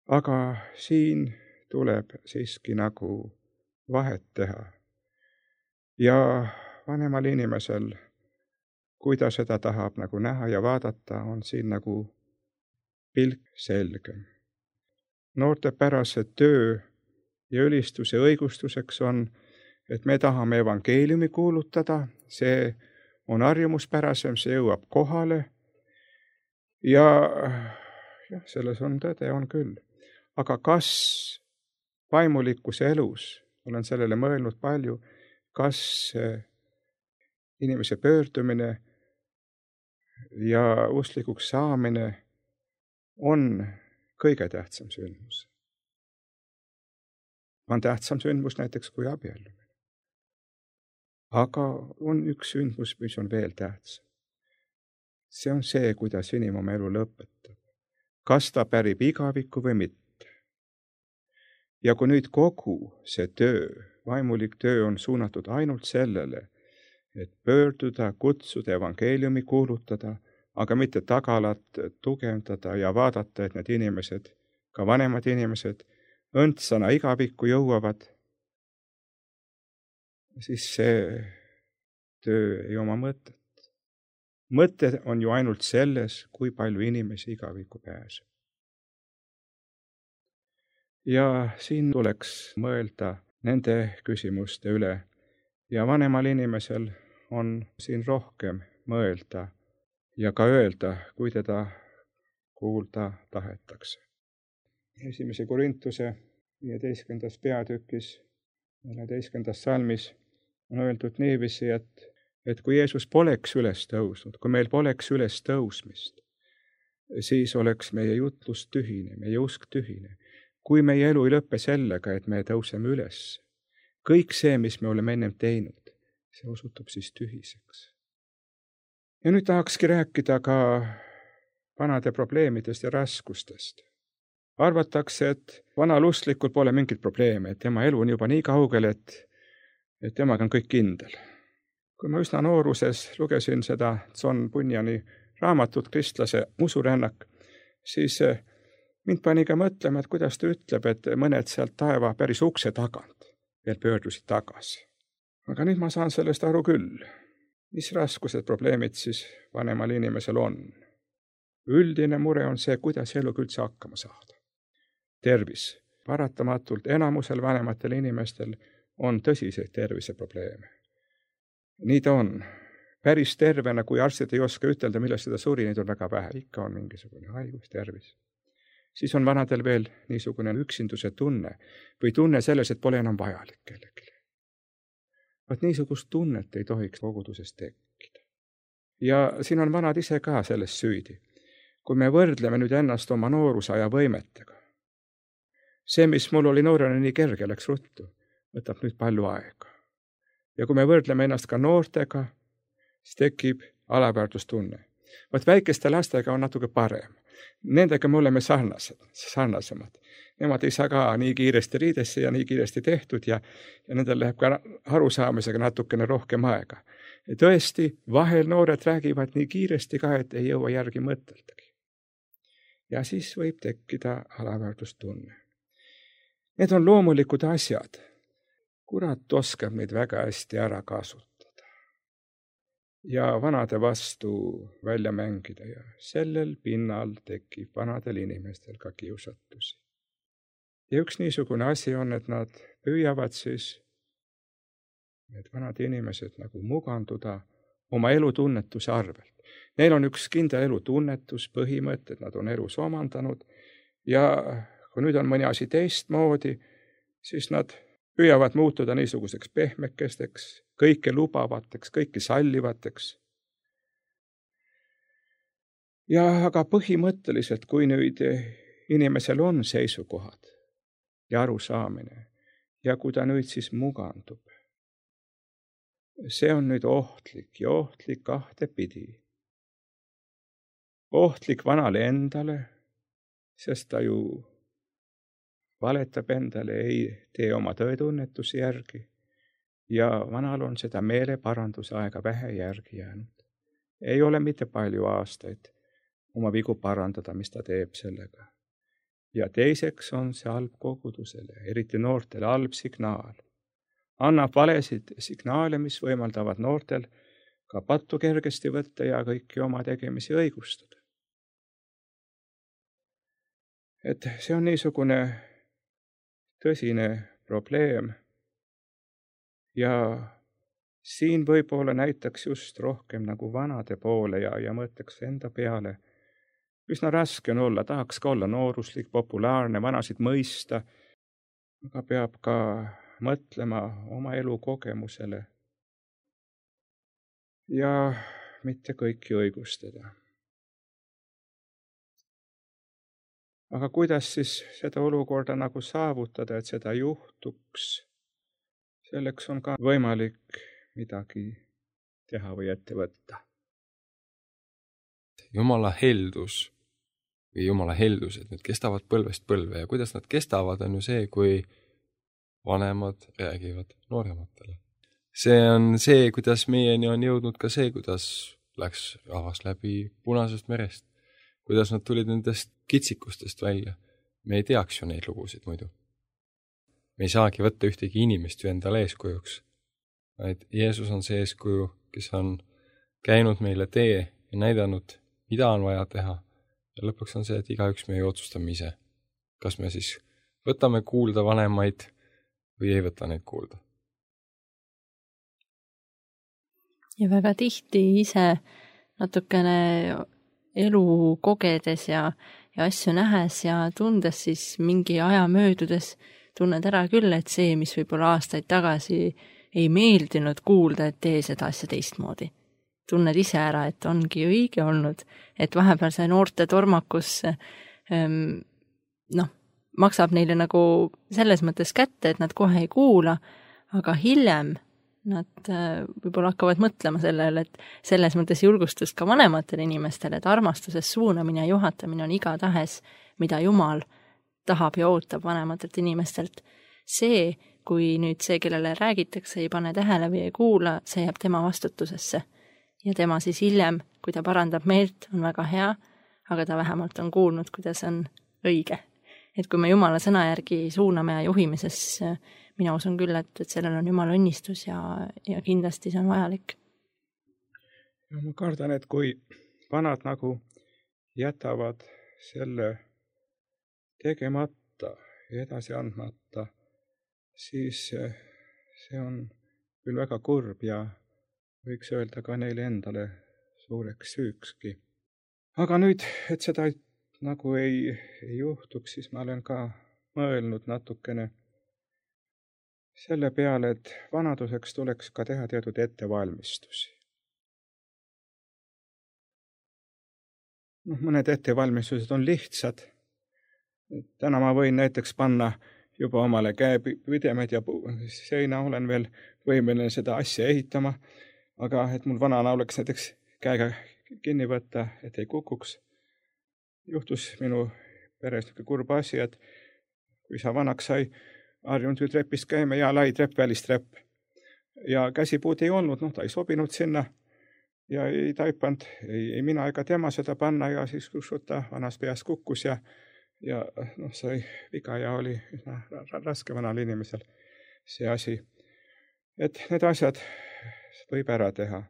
Aga siin tuleb siiski nagu vahet teha. Ja vanemal inimesel, kui ta seda tahab nagu näha ja vaadata, on siin nagu pilk selgem. Noortepärase töö ja ülistuse õigustuseks on, et me tahame evangeeliumi kuulutada, see on harjumuspärasem, see jõuab kohale ja jah, selles on tõde, on küll. Aga kas vaimulikkuse elus, olen sellele mõelnud palju, kas inimese pöördumine ja usklikuks saamine on kõige tähtsam sündmus. On tähtsam sündmus näiteks kui abiellumine. Aga on üks sündmus, mis on veel tähtsam. See on see, kuidas inimene oma elu lõpetab. Kas ta pärib igavikku või mitte. Ja kui nüüd kogu see töö, vaimulik töö on suunatud ainult sellele, et pöörduda, kutsuda, evangeeliumi kuulutada, aga mitte tagalat tugevdada ja vaadata, et need inimesed, ka vanemad inimesed, õndsana igavikku jõuavad, siis see töö ei oma mõtet. Mõte on ju ainult selles, kui palju inimesi igavikku pääseb. Ja siin tuleks mõelda nende küsimuste üle ja vanemal inimesel on siin rohkem mõelda ja ka öelda, kui teda kuulda tahetakse. Esimese Korintuse viieteistkümnendas peatükis, neljateistkümnendas salmis on öeldud niiviisi, et, et kui Jeesus poleks üles tõusnud, kui meil poleks üles tõusmist, siis oleks meie jutlus tühine, meie usk tühine. Kui meie elu ei lõppe sellega, et me tõuseme üles, kõik see, mis me oleme ennem teinud, see osutub siis tühiseks. Ja nüüd tahakski rääkida ka vanade probleemidest ja raskustest. Arvatakse, et vanal usklikul pole mingit probleeme, et tema elu on juba nii kaugel, et, et temaga on kõik kindel. Kui ma üsna nooruses lugesin seda John Bunyani raamatut Kristlase usurännak, siis mind pani ka mõtlema, et kuidas ta ütleb, et mõned sealt taeva päris ukse tagant veel pöördusid tagasi. Aga nüüd ma saan sellest aru küll. Mis raskused, probleemid siis vanemal inimesel on? Üldine mure on see, kuidas eluga üldse hakkama saada. Tervis. Paratamatult enamusel vanematel inimestel on tõsiseid terviseprobleeme. Nii ta on. Päris tervena, kui arstid ei oska ütelda, millest seda suri, neid on väga vähe. Ikka on mingisugune haigus, tervis. Siis on vanadel veel niisugune üksinduse tunne või tunne selles, et pole enam vajalik kellelegi. Vaat niisugust tunnet ei tohiks koguduses tekkida. Ja siin on vanad ise ka selles süüdi. Kui me võrdleme nüüd ennast oma noorusaja võimetega, see, mis mul oli noorena nii kerge, läks ruttu, võtab nüüd palju aega. Ja kui me võrdleme ennast ka noortega, siis tekib alaväärtustunne. Vaat väikeste lastega on natuke parem. Nendega me oleme sarnased, sarnasemad. Nemad ei saa ka nii kiiresti riidesse ja nii kiiresti tehtud ja, ja nendel läheb ka arusaamisega natukene rohkem aega. Ja tõesti, vahel noored räägivad nii kiiresti ka, et ei jõua järgi mõteldagi. Ja siis võib tekkida alaväärtustunne. Need on loomulikud asjad. Kurat oskab neid väga hästi ära kasutada. Ja vanade vastu välja mängida ja sellel pinnal tekib vanadel inimestel ka kiusatusi. Ja üks niisugune asi on, et nad püüavad siis, need vanad inimesed nagu muganduda oma elutunnetuse arvelt. Neil on üks kindel elutunnetus, põhimõtted, nad on elus omandanud ja kui nüüd on mõni asi teistmoodi, siis nad püüavad muutuda niisuguseks pehmekesteks, kõike lubavateks, kõike sallivateks. Ja aga põhimõtteliselt, kui nüüd inimesel on seisukohad ja arusaamine, ja kui ta nüüd siis mugandub, see on nüüd ohtlik ja ohtlik kahte pidi. Ohtlik vanale endale, sest ta ju valetab endale, ei tee oma tõetunnetusi järgi ja vanal on seda meeleparanduse aega vähe järgi jäänud. Ei ole mitte palju aastaid oma vigu parandada, mis ta teeb sellega. Ja teiseks on see halb kogudusele, eriti noortele halb signaal. Annab valesid signaale, mis võimaldavad noortel ka pattu kergesti võtta ja kõiki oma tegemisi õigustada. Et see on niisugune tõsine probleem ja siin võib-olla näitaks just rohkem nagu vanade poole ja, ja mõtleks enda peale. Üsna raske on olla, tahaks ka olla nooruslik, populaarne, vanasid mõista, aga peab ka mõtlema oma elu kogemusele ja mitte kõiki õigustada. Aga kuidas siis seda olukorda nagu saavutada, et seda juhtuks? Selleks on ka võimalik midagi teha või ette võtta. Jumala heldus või Jumala heldused, need kestavad põlvest põlve ja kuidas nad kestavad, on ju see, kui vanemad räägivad noorematele. See on see, kuidas meieni on jõudnud ka see, kuidas läks rahvas läbi Punasest merest, kuidas nad tulid nendest kitsikustest välja. Me ei teaks ju neid lugusid muidu. Me ei saagi võtta ühtegi inimest ju endale eeskujuks, vaid Jeesus on see eeskuju, kes on käinud meile tee ja näidanud, mida on vaja teha. Ja lõpuks on see, et igaüks me ei otsustame ise. Kas me siis võtame kuulda vanemaid või ei võta neid kuulda. Ja väga tihti ise natukene elu kogedes ja, ja asju nähes ja tundes siis mingi aja möödudes tunned ära küll, et see, mis võib-olla aastaid tagasi ei meeldinud kuulda, et tee seda asja teistmoodi. Tunned ise ära, et ongi õige olnud, et vahepeal see noorte tormakus ähm, noh, maksab neile nagu selles mõttes kätte, et nad kohe ei kuula, aga hiljem nad äh, võib-olla hakkavad mõtlema sellele, et selles mõttes julgustust ka vanematele inimestele, et armastuses suunamine ja juhatamine on igatahes, mida Jumal tahab ja ootab vanematelt inimestelt. See, kui nüüd see, kellele räägitakse, ei pane tähele või ei kuula, see jääb tema vastutusesse. Ja tema siis hiljem, kui ta parandab meelt, on väga hea, aga ta vähemalt on kuulnud, kuidas on õige. Et kui me Jumala sõna järgi suuname ja juhime, siis mina usun küll, et, et sellel on Jumala õnnistus ja, ja kindlasti see on vajalik. Ja ma kardan, et kui vanad nagu jätavad selle tegemata ja edasi andmata, siis see on küll väga kurb ja võiks öelda ka neile endale suureks süükski. Aga nüüd, et seda nagu ei, ei juhtuks, siis ma olen ka mõelnud natukene selle peale, et vanaduseks tuleks ka teha teatud ettevalmistusi. No, mõned ettevalmistused on lihtsad. Täna ma võin näiteks panna juba omale käepüdemed ja seina, olen veel võimeline seda asja ehitama, aga et mul vanana oleks näiteks käega kinni võtta, et ei kukuks. Juhtus minu peres kurb asi, et kui sa vanaks sai, harjunud ju trepist käime ja lai trepp, välistrepp. Ja käsipuud ei olnud, noh, ta ei sobinud sinna ja ei taipanud, ei, ei mina ega tema seda panna ja siis kus ta vanas peas kukkus ja, ja noh, sai viga ja oli üsna raske vanal inimesel see asi. Et need asjad võib ära teha.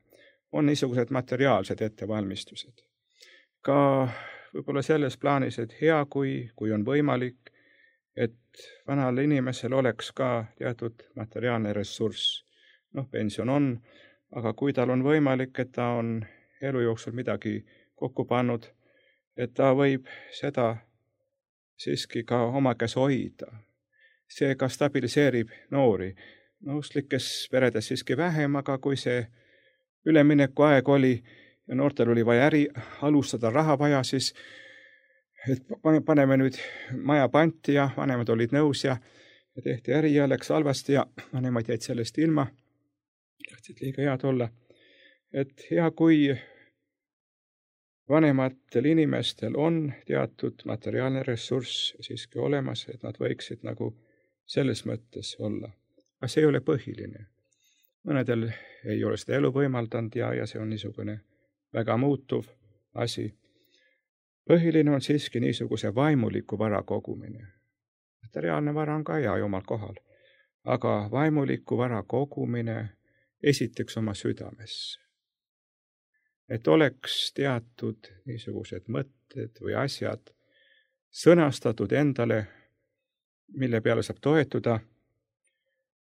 On niisugused materiaalsed ettevalmistused. Ka võib-olla selles plaanis, et hea, kui, kui on võimalik, et vanal inimesel oleks ka teatud materiaalne ressurss. Noh, pension on, aga kui tal on võimalik, et ta on elu jooksul midagi kokku pannud, et ta võib seda siiski ka oma käes hoida. See ka stabiliseerib noori. Nõustlikes peredes siiski vähem, aga kui see ülemineku aeg oli ja noortel oli vaja äri alustada, raha vaja, siis et paneme nüüd maja panti ja vanemad olid nõus ja, ja tehti äri ja läks halvasti ja vanemad jäid sellest ilma, tahtsid liiga head olla. Et hea, kui vanematel inimestel on teatud materiaalne ressurss siiski olemas, et nad võiksid nagu selles mõttes olla. Aga see ei ole põhiline. Mõnedel ei ole seda elu võimaldanud ja, ja see on niisugune väga muutuv asi. Põhiline on siiski niisuguse vaimuliku vara kogumine. Materiaalne vara on ka hea omal kohal, aga vaimuliku vara kogumine esiteks oma südamesse. Et oleks teatud niisugused mõtted või asjad sõnastatud endale, mille peale saab toetuda,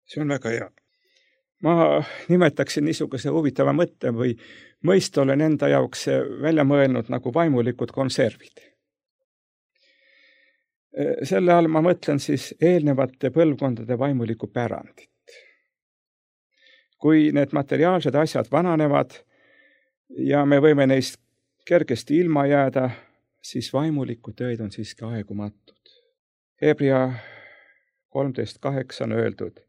see on väga hea. Ma nimetaksin niisuguse huvitava mõtte või mõist olen enda jaoks välja mõelnud nagu vaimulikud konservid. Selle all ma mõtlen siis eelnevate põlvkondade vaimulikku pärandit. Kui need materiaalsed asjad vananevad ja me võime neist kergesti ilma jääda, siis vaimuliku tõed on siiski aegumatud. Hebra kolmteist kaheksa on öeldud,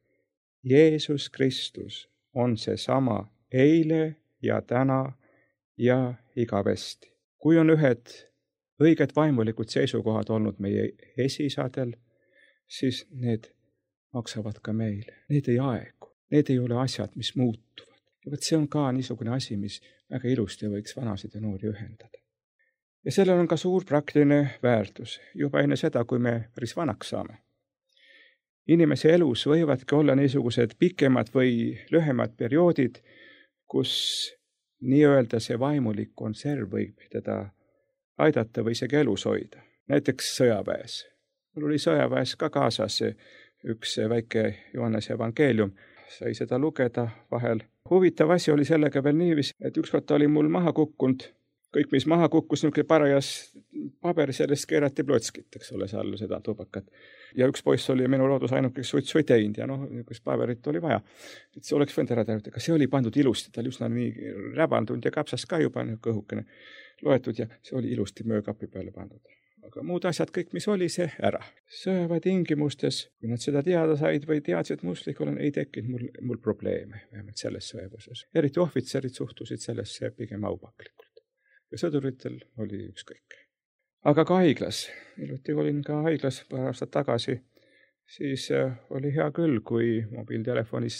Jeesus Kristus on seesama eile ja täna ja igavesti. Kui on ühed õiged vaimulikud seisukohad olnud meie esisadel, siis need maksavad ka meile. Need ei aegu. Need ei ole asjad, mis muutuvad. Ja võt see on ka niisugune asi, mis väga ilusti võiks vanasid ja noori ühendada. Ja sellel on ka suur praktiline väärtus juba enne seda, kui me päris vanaks saame. Inimese elus võivadki olla niisugused pikemad või lühemad perioodid, kus nii-öelda see vaimulik konserv võib teda aidata või isegi elus hoida. Näiteks sõjaväes. Mul oli sõjaväes ka kaasas üks väike Johannese evangeelium. Sai seda lugeda vahel. Huvitav asi oli sellega veel niivis, et ükskord oli mul maha kukkunud. Kõik, mis maha kukkus, niisugune parajas paber, sellest keerati plotskit, eks ole, seal seda tubakat. Ja üks poiss oli minu loodus ainukeks suitsu ei teinud ja noh, niisugust paberit oli vaja. Et see oleks võinud ära teha, aga see oli pandud ilusti, ta oli üsna nii räbandunud ja kapsas ka juba kõhukene loetud ja see oli ilusti möökapi peale pandud. Aga muud asjad kõik, mis oli, see ära. Sõjaväe tingimustes, kui nad seda teada said või teadsid mustlik olen, ei tekkinud mul, mul probleeme, vähemalt selles sõjaväes. Eriti ohvitserid suhtusid sellesse pigem aupaklikult. Ja sõduritel oli ükskõik. Aga ka haiglas, iluti olin ka haiglas paar aastat tagasi, siis oli hea küll, kui mobiiltelefonis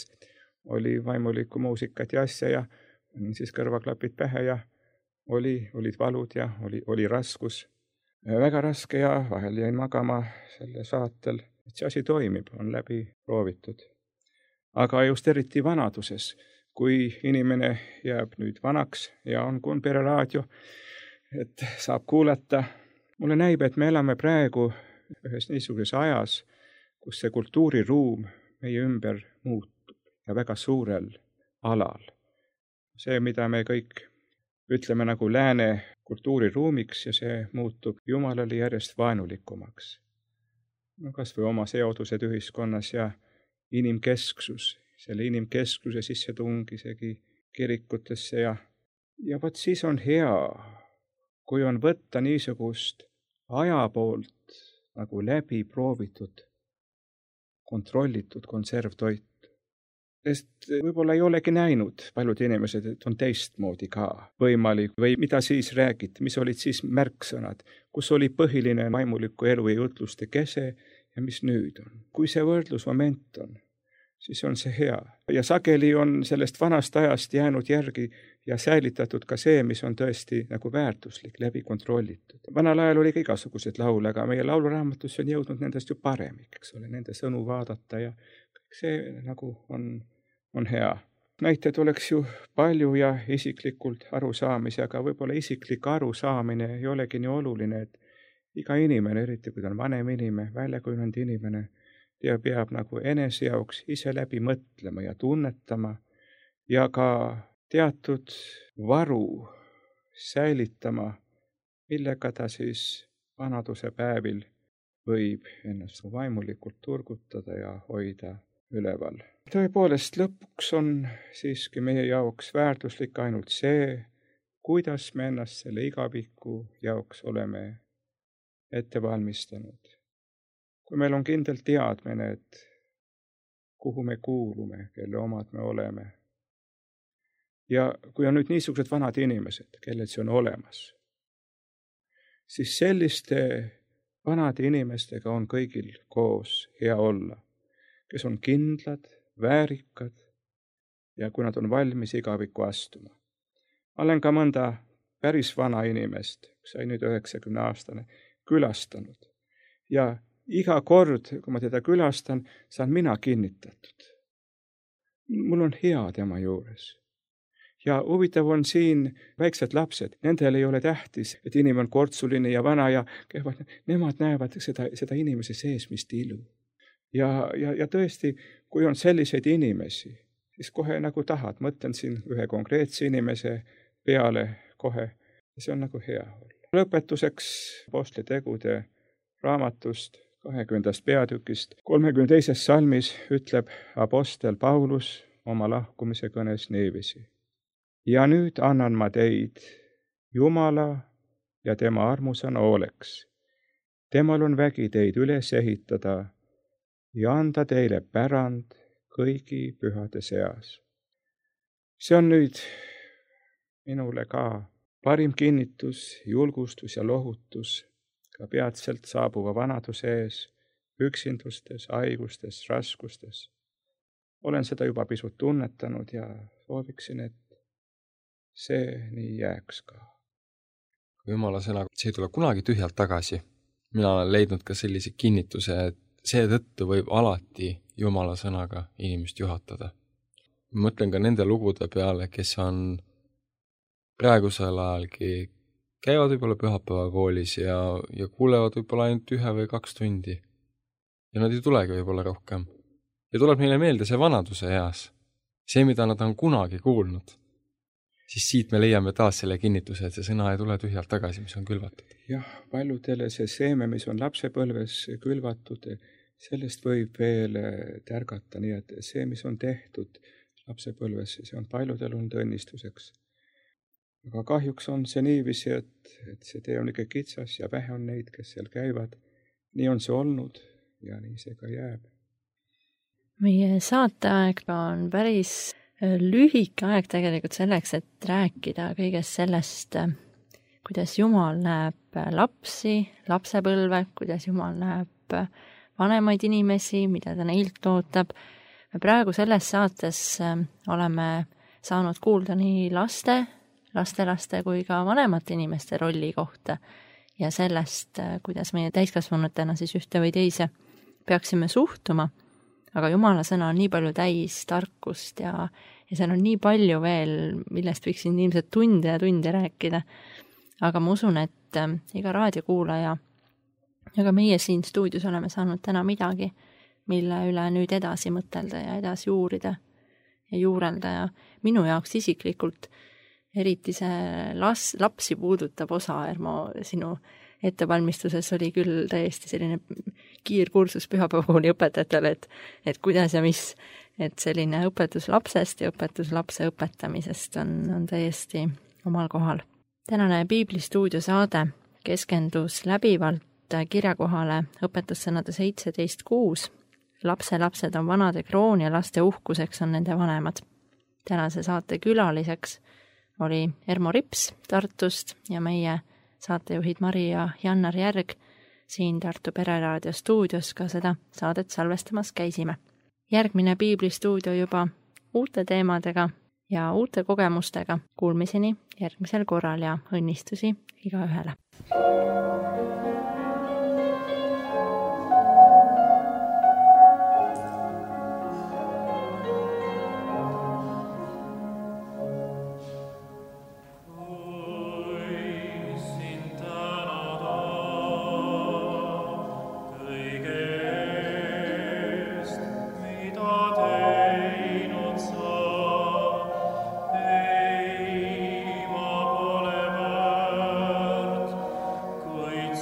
oli vaimulikku muusikat ja asja ja siis kõrvaklapid pähe ja oli, olid valud ja oli, oli raskus. Väga raske ja vahel jäin magama selle saatel, et see asi toimib, on läbi proovitud. Aga just eriti vanaduses, kui inimene jääb nüüd vanaks ja on Kumbere raadio, et saab kuulata. Mulle näib, et me elame praegu ühes niisuguses ajas, kus see kultuuriruum meie ümber muutub ja väga suurel alal. See, mida me kõik ütleme nagu lääne kultuuriruumiks ja see muutub Jumalale järjest vaenulikumaks. No kas või oma seodused ühiskonnas ja inimkesksus. Selle inimkeskluse sissetung isegi kirikutesse ja, ja võt siis on hea, kui on võtta niisugust aja poolt nagu läbi proovitud, kontrollitud konservtoitu. Sest võib-olla ei olegi näinud paljud inimesed, et on teistmoodi ka võimalik või mida siis räägiti, mis olid siis märksõnad, kus oli põhiline vaimuliku elu ja jutluste kese ja mis nüüd on. Kui see võrdlusmoment on, siis on see hea. Ja sageli on sellest vanast ajast jäänud järgi ja säilitatud ka see, mis on tõesti nagu väärtuslik, läbi kontrollitud. Vanal ajal oli ka igasugused laule, aga meie lauluraamatusse on jõudnud nendest ju paremik, eks ole, nende sõnu vaadata ja kõik see nagu on, on hea. Näiteid oleks ju palju ja isiklikult arusaamise, aga võib-olla isiklik arusaamine ei olegi nii oluline, et iga inimene, eriti kui ta on vanem inimene, väljakujunenud inimene, ja peab nagu enese jaoks ise läbi mõtlema ja tunnetama ja ka teatud varu säilitama, millega ta siis vanaduse päevil võib ennast vaimulikult turgutada ja hoida üleval. Tõepoolest, lõpuks on siiski meie jaoks väärtuslik ainult see, kuidas me ennast selle igaviku jaoks oleme ette valmistanud. Kui meil on kindel teadmine, et kuhu me kuulume, kelle omad me oleme. Ja kui on nüüd niisugused vanad inimesed, kellel see on olemas, siis selliste vanade inimestega on kõigil koos hea olla, kes on kindlad, väärikad ja kui nad on valmis igavikku astuma. Ma olen ka mõnda päris vana inimest, sai nüüd üheksakümne aastane, külastanud. Ja iga kord, kui ma teda külastan, saan mina kinnitatud. Mul on hea tema juures. Ja huvitav on siin väiksed lapsed, nendel ei ole tähtis, et inimene on kortsuline ja vana ja kehvad, nemad näevad seda, seda inimese seesmist ilu. Ja, ja, ja tõesti, kui on selliseid inimesi, siis kohe nagu tahad, mõtlen siin ühe konkreetse inimese peale kohe, ja see on nagu hea olla. Lõpetuseks Apostlitegude raamatust, kahekümnendast peatükist, kolmekümne teises salmis ütleb apostel Paulus oma lahkumise kõnes niiviisi. Ja nüüd annan ma teid Jumala ja tema armusõna hooleks. Temal on vägi teid üles ehitada ja anda teile pärand kõigi pühade seas. See on nüüd minule ka parim kinnitus, julgustus ja lohutus ka peatselt saabuva vanaduse ees, üksindustes, haigustes, raskustes. Olen seda juba pisut tunnetanud ja sooviksin, et see nii jääks ka. Jumala sõna, see ei tule kunagi tühjalt tagasi. Mina olen leidnud ka sellise kinnituse, et seetõttu võib alati Jumala sõnaga inimest juhatada. Mõtlen ka nende lugude peale, kes on praegusel ajalgi käivad võib-olla pühapäeva koolis ja, ja kuulevad võib-olla ainult ühe või kaks tundi. Ja nad ei tulegi võib-olla rohkem. Ja tuleb meile meelde see vanaduse eas. See, mida nad on kunagi kuulnud. Siis siit me leiame taas selle kinnituse, et see sõna ei tule tühjalt tagasi, mis on külvatud. Jah, paljudele see seeme, mis on lapsepõlves külvatud, sellest võib veel tärgata, nii et see, mis on tehtud lapsepõlves, see on paljudel olnud õnnistuseks. Aga kahjuks on see niiviisi, et, et see tee on ikka kitsas ja vähe on neid, kes seal käivad. Nii on see olnud ja nii see ka jääb. Meie saateaeg on päris lühike aeg tegelikult selleks, et rääkida kõigest sellest, kuidas Jumal näeb lapsi, lapsepõlve, kuidas Jumal näeb vanemaid inimesi, mida ta neilt ootab. Me praegu selles saates oleme saanud kuulda nii laste, lastelaste kui ka vanemate inimeste rolli kohta ja sellest, kuidas meie täiskasvanutena siis ühte või teise peaksime suhtuma. Aga Jumala sõna on nii palju täis tarkust ja, ja seal on nii palju veel, millest võiksin ilmselt tunde ja tunde rääkida. Aga ma usun, et iga raadiokuulaja ja ka meie siin stuudios oleme saanud täna midagi, mille üle nüüd edasi mõtelda ja edasi uurida ja juurelda. Ja minu jaoks isiklikult eriti see las, lapsi puudutab osa, Ermo, sinu ettevalmistuses oli küll täiesti selline kiirkursus pühapäevakooli õpetajatele, et, et kuidas ja mis, et selline õpetus lapsest ja õpetus lapse õpetamisest on, on täiesti omal kohal. Tänane Piiblistuudio saade keskendus läbivalt kirjakohale õpetussõnade seitseteist kuus. Lapse lapsed on vanade kroon ja laste uhkuseks on nende vanemad. Tänase saate külaliseks oli Ermo Rips Tartust ja meie saatejuhid Mari ja Jannar Järg siin Tartu Pereraadio stuudios ka seda saadet salvestamas käisime. Järgmine Piiblistuudio juba uute teemadega ja uute kogemustega. Kuulmiseni järgmisel korral ja õnnistusi igaühele. Kuid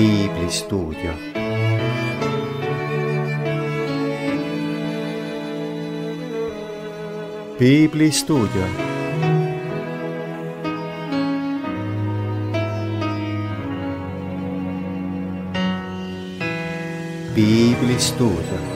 Piiblistuudio. Piiblistuudio. Piiblistuudio.